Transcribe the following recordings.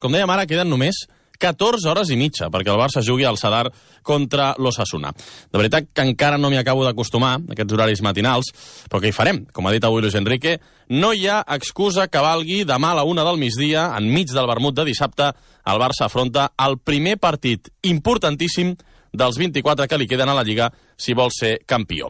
com dèiem ara, queden només 14 hores i mitja perquè el Barça jugui al Sadar contra l'Osasuna. De veritat que encara no m'hi acabo d'acostumar, aquests horaris matinals, però què hi farem? Com ha dit avui Luis Enrique, no hi ha excusa que valgui demà a la 1 del migdia, enmig del vermut de dissabte, el Barça afronta el primer partit importantíssim dels 24 que li queden a la Lliga si vol ser campió.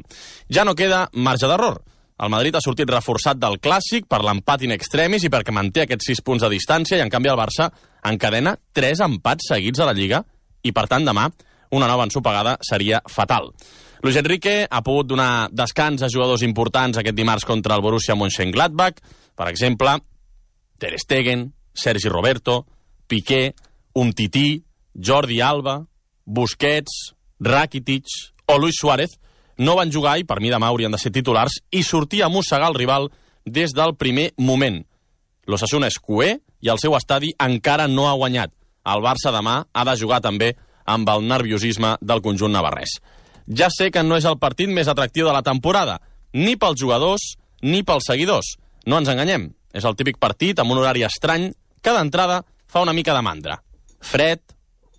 Ja no queda marge d'error. El Madrid ha sortit reforçat del Clàssic per l'empat in extremis i perquè manté aquests 6 punts de distància i, en canvi, el Barça encadena 3 empats seguits a la Lliga i, per tant, demà una nova ensopegada seria fatal. Luis Enrique ha pogut donar descans a jugadors importants aquest dimarts contra el Borussia Mönchengladbach, per exemple, Ter Stegen, Sergi Roberto, Piqué, Umtiti, Jordi Alba, Busquets, Rakitic o Luis Suárez no van jugar i per mi demà haurien de ser titulars i sortir a mossegar el rival des del primer moment. L'Osasuna és cuer i el seu estadi encara no ha guanyat. El Barça demà ha de jugar també amb el nerviosisme del conjunt navarrès. Ja sé que no és el partit més atractiu de la temporada, ni pels jugadors ni pels seguidors. No ens enganyem, és el típic partit amb un horari estrany que d'entrada fa una mica de mandra. Fred,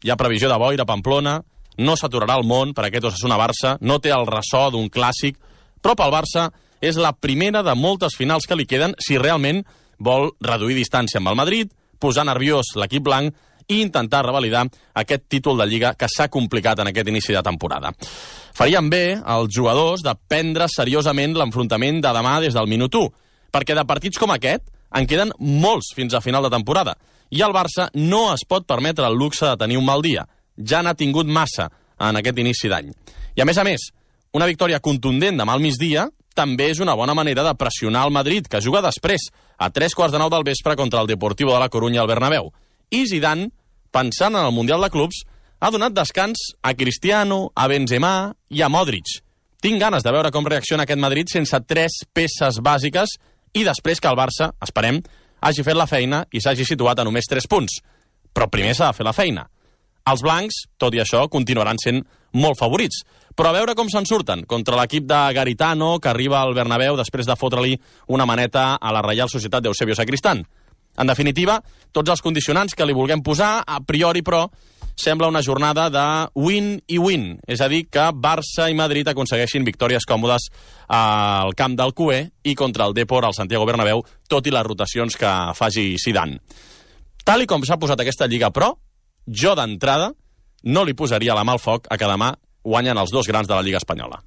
hi ha previsió de boira a Pamplona, no s'aturarà el món per aquest Osasuna-Barça, no té el ressò d'un clàssic, però pel Barça és la primera de moltes finals que li queden si realment vol reduir distància amb el Madrid, posar nerviós l'equip blanc i intentar revalidar aquest títol de Lliga que s'ha complicat en aquest inici de temporada. Farien bé els jugadors de prendre seriosament l'enfrontament de demà des del minut 1, perquè de partits com aquest en queden molts fins a final de temporada, i el Barça no es pot permetre el luxe de tenir un mal dia. Ja n'ha tingut massa en aquest inici d'any. I a més, una victòria contundent demà al migdia també és una bona manera de pressionar el Madrid, que juga després, a 3:15 del vespre, contra el Deportivo de la Coruña al Bernabéu. I Zidane, pensant en el Mundial de Clubs, ha donat descans a Cristiano, a Benzema i a Modric. Tinc ganes de veure com reacciona aquest Madrid sense 3 peces bàsiques i després que el Barça, esperem, hagi fet la feina i s'hagi situat a només 3 punts. Però primer s'ha de fer la feina. Els blancs, tot i això, continuaran sent molt favorits. Però a veure com se'n surten contra l'equip de Garitano, que arriba al Bernabéu després de fotre-li una maneta a la Reial Societat d'Eusebio Sacristán. En definitiva, tots els condicionants que li vulguem posar, a priori, però, sembla una jornada de win i win. És a dir, que Barça i Madrid aconsegueixin victòries còmodes al camp del Cué i contra el Depor al Santiago Bernabéu, tot i les rotacions que faci Zidane. Tal i com s'ha posat aquesta Lliga, però, jo d'entrada no li posaria la mà al foc a que demà guanyen els 2 grans de la Lliga espanyola.